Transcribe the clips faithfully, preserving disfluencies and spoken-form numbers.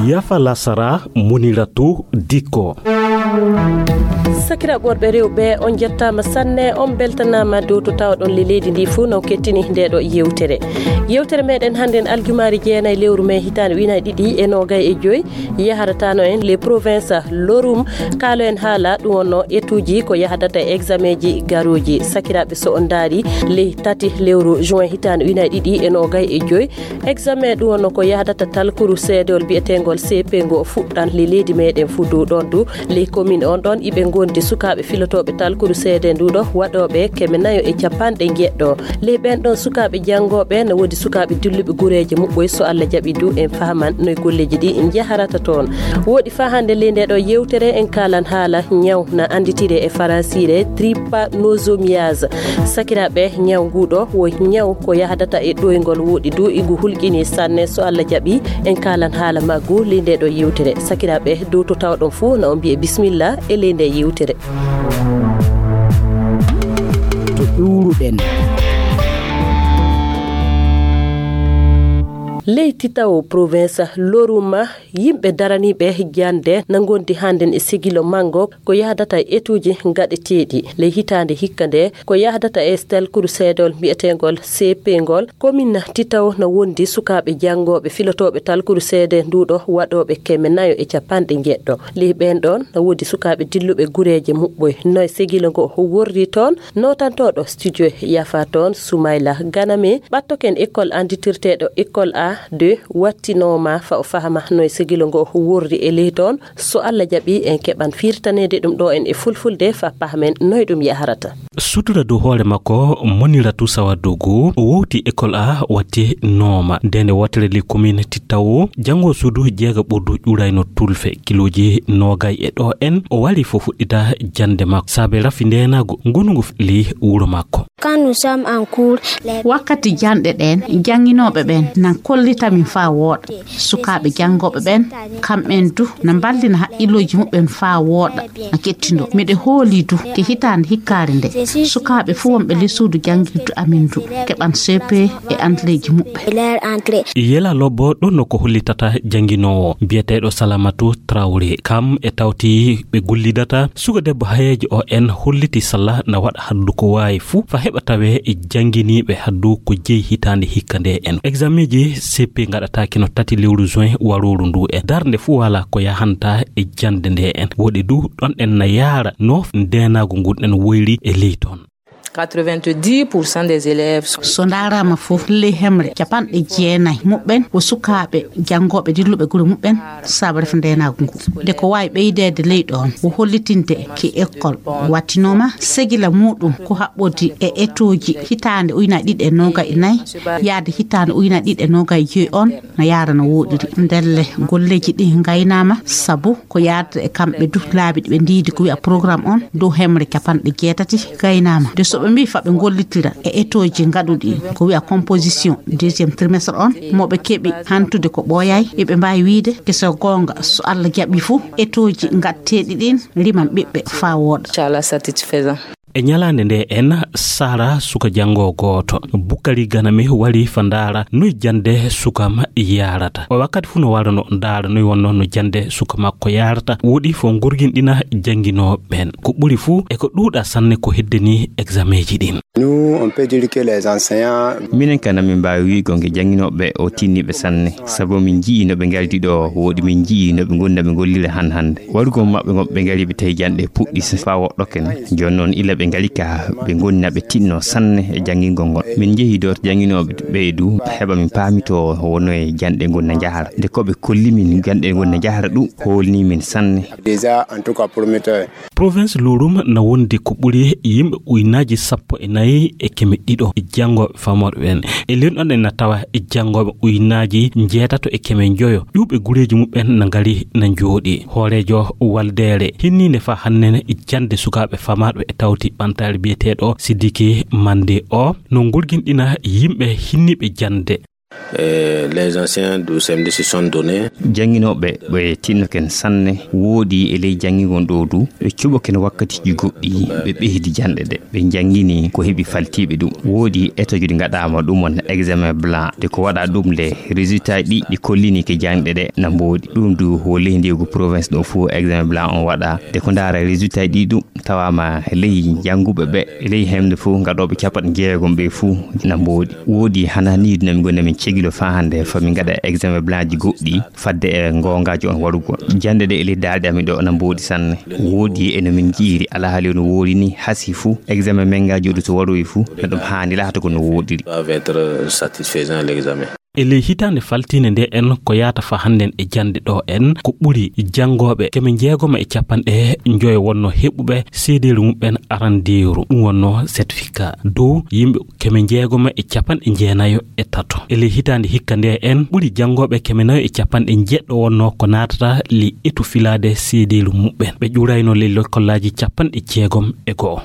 Yafa lasara, Muniratu Dikko. Sakiraaɓe worɓe rewɓe, on njettaama sanne, on mbeltanaama dow to tawɗon le leydi ndi fuu no kettini nde ɗo yewtere. Yewtere meɗen hannden aljumaari jeenayi lewru mee hitaande ujunaaji ɗiɗi e noogay e joy, yaharatano en les provinces Lorum, kaalo en haala ɗum wonno etuuji ko yahdata e examen ji garuuji. Sakiraaɓe, so on ndaari ley tati lewru juin hitaande ujunaaji ɗiɗi e noogay e joy, examen ɗum wonno ko yahdata talkuru seedewol biyeteengol C P ngo fuɗɗan le leydi meɗen fuu dow ɗon du. Ley commune on ɗon iɓe ngondi sukaaɓe filotooɓe talkuru seede nduɗo waɗooɓe keme nayo e capanɗe njeɗɗo. Ley ɓen ɗon sukaaɓe janngooɓe, no woodi sukaaɓe dilluɓe gureeje muɓɓoy, so Allah jaɓi du en fahaman noy golleeji ɗi njaharata toon. Woodi faa hannde ley nde ɗo yewtere en kaalan haala ñaw na annditire e faransiire trypanosomiase. Sakiraaɓe, ñaw nguɗo wo ñaw ko yahdata e ɗoyngol woɗi du, igu hulƴini sanne. So Allah jaɓi en kaalan haala maggu ley nde ɗo yewtere. Sakiraaɓe, dow to tawɗon fuu na on mbiye bismillah e ley nde yewtere. To ƴuuruɗen. Ley Titawo, province Loruma, yimɓe daraniiɓe jannde na ngondi hannden e sigilo manngo ko yahdata e etuuji gaɗeteeɗi. Ley hitaande hikka nde ko yahdata e talkuru seedewol mbiyeteengol C P ngol, commune Titawo na wondi sukaaɓe janngooɓe filotooɓe talkuru seede nduɗo waɗooɓe keme nayo e capanɗe njeɗɗo. Ley ɓen ɗon na woodi sukaaɓe dilluɓe gureeje muɓɓoy. Noy sigilo ngo worri toon? Nootantooɗo studio yafa toon, Soumaila Ganame, ɓattoken école annditirteeɗo école A deux, wattinooma fa o fahama noy sigilo ngo worri e ley toon. So Allah jaɓi en keɓan firtaneede ɗum ɗo en e fulfulde fa pahmen noy ɗum yaharata. Sutura dow hoore makko, Moniratu Sawadugu, o wowti école A wattinooma. Nde nde wootere ley commune Titawo, janngo suudu jeega ɓurdu ƴurayno tulfe, kilooji noogay e ɗo en, o wari fo fuɗɗita jannde makko. Saabe rafi ndeenaagu, ngonu ngu fuɗɗili wuro makko. Quand nous sommes en cours, les Wakkati janɗe ɗen, jannginooɓe ɓen nan kollita min faa wooɗa. Sukaaɓe janngooɓe ɓen, kamɓen du, na mballina haqqillooji muɓɓen faa wooɗa, na kettindoo. Miɗo hoolii du, ke hitaande hikkaare nde, sukaaɓe fuu wonɓe ley suudu janngirdu amin du, keɓan C P e anteleeji muɓɓen. Leur entrée. Yela Lobbo, ɗon no ko hollitata jannginoowo biyeteeɗo Salamatu Traoré. Kam e tawti ɓe gollidata, suka debbo hayeejo o en holliti salla na waɗa haddu ko waawi fuu fa heɓa tawe e jannginiiɓe haddu ko jeyi hitaande hikka nde en. Exameeji C P ngaɗataake no tati lewru juin warooru ndu en. Darnde fuu wala ko yahanta e jannde nde en. Woɗi du ɗon en na yaara no ndeenaagu ngun en woyri e ley toon. Quatre-vingt-dix pour cent des élèves sont So ndaaraama fof, ley hemre capanɗe jeenayi muɓɓen ko sukaaɓe janngooɓe dilluɓe gure muɓɓen, saabu ref ndeenaagu ngu. Nde ko waawi ɓeydeede ley ɗoon, ko hollitinde ki école wattinooma, segila muuɗum ko haɓɓodi e etooji hitaande ujunaaji ɗiɗi e noogay e nayi, yaade hitaande ujunaaji ɗiɗi e noogay e joy on, no yaara no wooɗiri. Ndelle golleeji ɗi ngaynaama, sabu ko yaadata e kamɓe du laabi ɗi ɓe ndiidi ko wiya programme on dow hemre capanɗe jeetati gaynaama. De so ɓe mbii fa ɓe ngollitira e etooji ngaɗuɗi ko wiya composition deuxième trimestre on, mo ɓe keɓi hantude ko ɓooyaay, eɓe mbaawi wiide ke so goonga, so Allah jaɓi fuu, etooji ngaɗteeɗi ɗin riman ɓiɓɓe faa wooɗa. Inchallah satisfaisant. E ñalaande nde en, Sara suka janngo gooto, Bukari Ganami wari fa ndaara noy jannde suka ma yaarata. O wakkati fuu no wara no ndaara noy wonno no jannde suka makko yaarata. Woɗi fo ngurginɗina jannginooɓe ɓen. Ko ɓuri fuu e ko ɗuuɗa sanne ko heddeni exameeji ɗin. Nous, on peut dire que les enseignants Minen kan, amin mbaawi wi'ugo nge jannginooɓe o tinniiɓe sanne, sabu min nji'i no ɓe ngardi ɗo, woɗi min nji'i no ɓe ngoni na ɓe ngollira han hannde. Warugol maɓɓe ngon ɓe ngari ɓe tawi janɗe puɗɗi s-, faa woɗɗoken. Jooni noon ila ɓe ngari ka ɓe ngoni na ɓe tinno sanne e janngingol ngol. Min njehi ɗo to jannginooɓe ɓe du, heɓa min paamitoo wonno e janɗe ngon na njahara. Nde ko ɓe kolli min janɗe ngon na njahara ɗum, hoolni min sanne. Déjà, en tout cas, prometteur. Province Lorum na wondi ko ɓuri yimɓe ujunaaji sappo e nayi e keme ɗiɗo janngooɓe famooɓe ɓen. E leydi on en na tawa e janngooɓe ujunaaji njeetato e keme njoyo. Ƴuwɓe gureeji muɓɓen na ngari na njooɗi. Hooreejo waldeere hinniinde faa hannde jannde sukaaɓe famaaɓe e tawti ɓantaare biyeteeɗo Sidiki Mande o no ngurginɗina yimɓe hinniiɓe jannde. Et les anciens du C M D se sont donnés. Jannginooɓe ɓe tinno ken sanne, woodi e ley janngingol ɗo du, ɓe cuɓo ken wakkatiiji goɗɗi, ɓe ɓeydi janɗe ɗe. Ɓe janngini ko heɓi faltiiɓe ɗum. Woodi étude ɗi ngaɗaama ɗum won examen blanc, de ko waɗa ɗum le résultat ɗi, ɗi kollini ke janɗe ɗe na mboodi. Ɗum du wo ley ndeegu province ɗo fof examen blanc on waɗa. De ko ndaara résultat ɗi ɗum, tawaama ley jannguɓe ɓe, ley hemde fof gaɗooɓe capanɗe jeegom ɓe fof na mboodi. Woodi hana ni no min goni min cegilo faa hannde, fa min ngaɗa examen blanc ji goɗɗi fadde e goongaajo on waɗugol. Jannde ɗe e ley daalɗe amin ɗo na mboodi sanne. Woodi e no min njiiri alhaali no woodi ni hasi fof examen men ngaaji ɗo so waɗoyi fof no ɗum haani laata ko no woodiri. Doivent être satisfaisant l'examen. E ley hitaande faltiinde nde en ko yaata fa hannden e jannde ɗo en, ko ɓuri janngooɓe keme jeegoma e capanɗe njoyo wonno heɓuɓe seedeelu muɓɓen arandeeru, ɗum wonno certificat. Dow yimɓe keme jeegoma e capanɗe jeenayo e tato. E ley hitaande hikka nde en, ɓuri janngooɓe keme nayo e capanɗe jeɗɗo wonno ko naatata ley etu filaade seedeelu muɓɓen. Ɓe ƴurayno ley lekkolaaji capanɗe jeegom e go'o.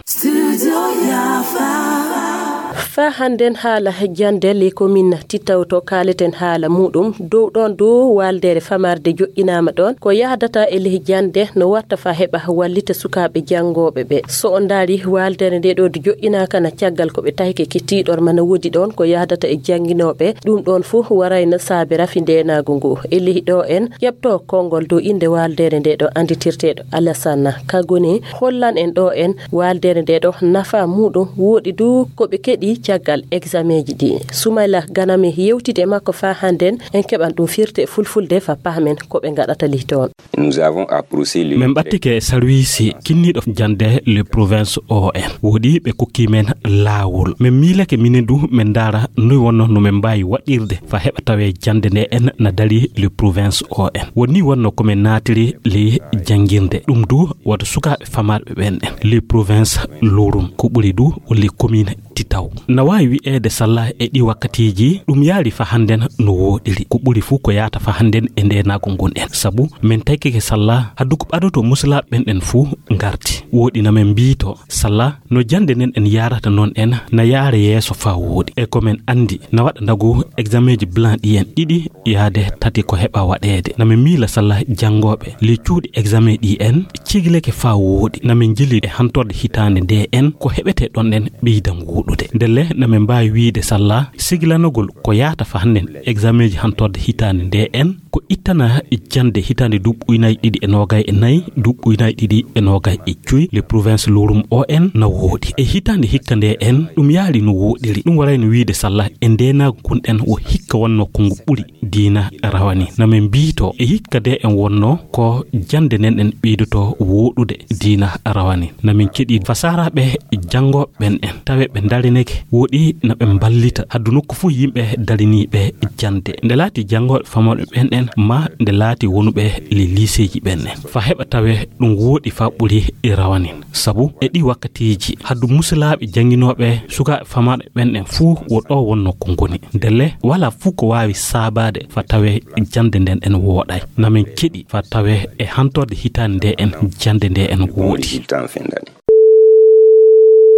Faa hannden haala jannde ley komin Titaw to kaaleten haala muuɗum. Dow ɗoon dow waaldeere famarde joƴƴinaama ɗoon. Ko yahdata e ley jannde no watta faa heɓa wallita sukaaɓe janngooɓe ɓe. So on ndaari waaldeere nde ɗo du joƴƴinaaka na caggal ko ɓe tahi ke tiiɗorma na woodi ɗoon ko yahdata e jannginooɓe. Ɗum ɗoon fof warayno saabe rafi ndeenaagu ngu. E ley ɗo en ƴeɓto konngol dow innde waaldeere nde ɗo annditirteeɗo Alassane Kagone hollan en ɗo en waaldeere nde ɗo nafa muuɗum woodi du ko ɓe keɗi caggal exameeji ɗi. Sumayla Ganame yewtidi e makko faa hannden en keɓan ɗum firti e fulfulde faa pahmen ko ɓe ngaɗata ley toon. Nous avons approché le Min ɓattike e sarwiisi kinniiɗo jannde le province O N. Woodi ɓe kokki men laawol. Min miilake minen du min ndaara noy wonno no min mbaawi waɗirde faa heɓa tawee jannde nde en na darii le province O N. Woni wonno ko min naatiri ley janngirde. Ɗum du wata sukaaɓe famarɓe ɓen en. Le province Lorum ko ɓuri du walla commune Titaw. Na waawi wi'eede salla e ɗi wakkatiiji, ɗum yaari faa hannden no woodiri. Ko ɓuri fuu ko yaata faa hannden e ndeenaagu ngun en. Sabu min taykike salla, haddu ko ɓadoto musulaaɓe ɓen en fuu ngarti. Woodi na min mbiito, salla no jannde nden en yaarata noon en, na yaara yeeso faa wooɗi. E ko min anndi, na waɗa ndagu exameeji blanc ɗi en ɗiɗi yaade tati ko heɓa waɗeede. Na min miila salla janngooɓe ley cuuɗi examen ɗi en cigileke faa wooɗi. Na min njili e hantorde hitaande nde en ko heɓetee ɗon en ɓeydan wooɗude. Ndelle na min mbaawi wiide salla sigilanogol ko yaata faa hannden exameeji hantorde hitaande nde en ko ittana jannde hitaande duuɓi ujunaaji ɗiɗi e noogay e nayi, duuɓi ujunaaji ɗiɗi e noogay e joy, le province Lorum O N na wooɗi. E hitaande hikka nde en ɗum yaari no wooɗiri. Ɗum warayno wiide salla e ndeenaagu ngun en wo hikka wonno ko ngu ɓuri diina rawani. Na min mbiito e hikka nde en wonno ko jannde nden en ɓeydoto wooɗude diina rawani. Na min keɗi fasaaraaɓe janngooɓe ɓen en tawe ɓe ndarineke wooɗi na ɓe mballita haddu nokku fuu yimɓe dariniiɓe jannde. Nde laati janngooɓe famooɓe ɓen en ma nde laati wonuɓe ley liiseeji ɓen en. Faa heɓa tawe ɗum wooɗi faa ɓuri e rawanin. Sabu e ɗi wakkatiiji haddu musulaaɓe jannginooɓe sukaaɓe famaaɓe ɓen en fuu wo ɗo wonno ko ngoni. Ndelle walaa fuu ko waawi saabaade faa tawe jannde nden en wooɗay. Na min keɗi faa tawe e hantorde hitaande nde en jannde nde en wooɗi.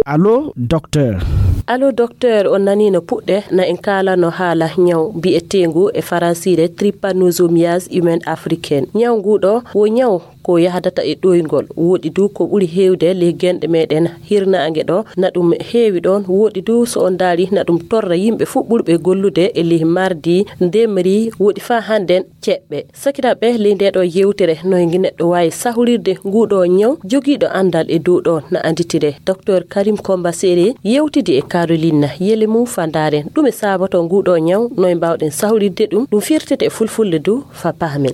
Allo, docteur. Allo, docteur, on nanii no puɗɗe na en kaalano haala ñaw mbi'eteengu e faransiire trypanosomiase humaine africaine. Ñaw nguu ɗo wo ñaw ko yahdata e ɗoyngol. Woɗi du ko ɓuri heewde ley genɗe meɗen hirnaange ɗo na ɗum heewi ɗoon. Woɗi du so on ndaari na ɗum torra yimɓe fuu ɓurɓe gollude e ley mardi, ndemri, woɗi faa hannden ceɓɓe. Sakiraaɓe, ley ndee ɗoo yewtere, no e neɗɗo waawi sahrirde nguu ɗoo ñaw? Jogiiɗo anndal e dow ɗoo na annditire, Docteur Karim Komba Sere yewtidi e Caroline Yelemu Fandaren. Ɗume saabotoo nguu ɗoo ñaw? No e mbaawɗen sahrirde ɗum? Ɗum firtete e fulfulde du faa pahmen.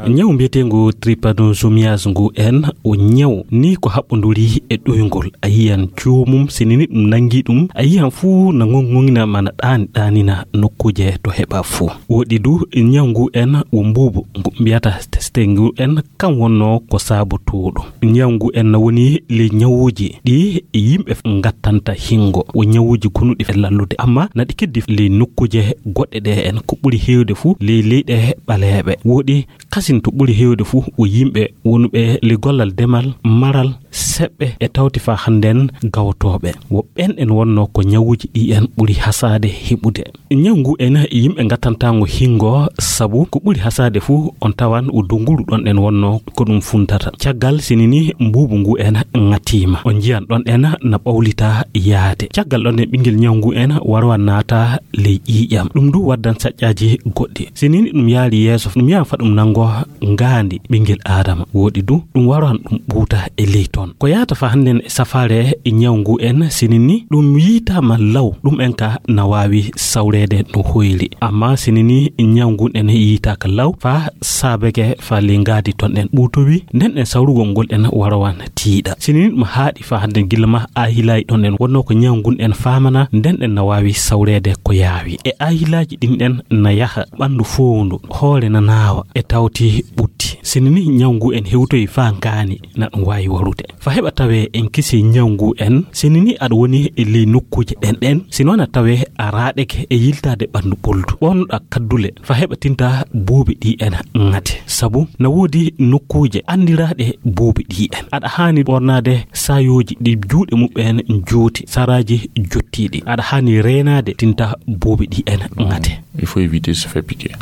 Ñaw mbiyeteengu trypanosomiase ngu en, o ñaw ni ko haɓɓonduri e ɗoyngol. A yiyan joomum, sinini ɗum nanngi ɗum, a yiyan fuu na ŋoŋŋoŋina mana ɗaani ɗaanina nokkuuje to heɓa fuu. Woɗi du ñaw ngu en wo mbuubu ngu mbiyata teste ngu en, kan wonno ko saabotooɗo. Ñaw ngu en na woni ley ñawuuji ɗi yimɓe ngattanta hingo. Wo ñawuuji gonuɗi e lallude, amma na ɗi keddi ley nokkuuje goɗɗe ɗe en, ko ɓuri heewde fuu ley leyɗe ɓaleeɓe. Woɗi kasin to ɓuri heewde fuu ko yimɓe wonuɓe li gollal demal, maral, seɓɓe e tawti fa hannden gawtooɓe. Wo ɓen en wonno ko ñawuji ɗi en ɓuri hasaade heɓude. Ñaw ngu en yimɓe ngattantaango hingo, sabu ko ɓuri hasaade fuu on tawan o donguru ɗon en wonno ko ɗum funtata. Caggal sinini mbuubu ngu en ŋatiima. On njiyan ɗon en na ɓawlita yaade. Caggal ɗon en ɓinngel ñaw ngu en warwa naata ley ƴiiƴam. Ɗum du waddan saƴƴaaji goɗɗi. Sinini ɗum yaali yeeso, ɗum yahan fa ɗum nango ngaandi ɓinngel Aadama. Wooɗi du, ɗum waran ɗum ɓuuta e ley ton. Ko yaata fa hannden e safaare e ñaw ngu en sinini, ɗum yiitaama law, ɗum en ka na waawi sawreede no hoyri. Amma sinini ñaw ngun en yiitaaka law, fa saabeke fa ley ngaadi ton en ɓuutowi, nden en sawrugol ngol en warawan tiiɗa. Sinini ɗum haaɗi fa hannden gilla ma aahilaaji ɗon en wonno ko ñaw ngun en faamana, nden en na waawi sawreede ko yaawi. E aahilaaji ɗin en na yaha ɓanndu fowndu, hoore na naawa, e tawti ɓutti. Sinini ñaw ngu en hewtoyi fa ngaani na ɗum waawi warude. Fa heɓa tawee en kisii ñaw ngu en, sinini aɗa woni e ley nokkuuje ɗen ɗen, sino na tawee a raaɗeke e yiltaade ɓanndu ɓoldu. Ɓornoɗaa kaddule, fa heɓa tinta buubi ɗi en ŋate. Sabu na woodi nokkuuje anndiraaɗe buubi ɗi en. Aɗa haani ɓornaade saayooji ɗi juuɗe muɓɓen jooti, saraaji jottiiɗi. Aɗa haani reenaade tinta buubi ɗi en ŋate. Il faut éviter de se faire piquer.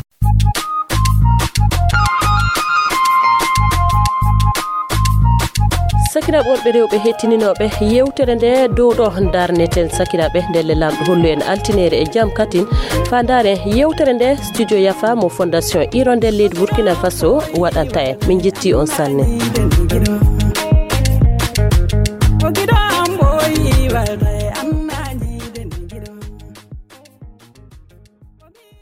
Sakiraaɓe worɓe rewɓe hettininooɓe yewtere nde dow ɗo ndarneten sakiraaɓe ndelle Laamɗo hollu en altineere e jam katin fa ndaaren yewtere nde studio Yafa mo Fondation Hirondelle leydi Burkina Faso waɗanta en. Min njetti on sanne.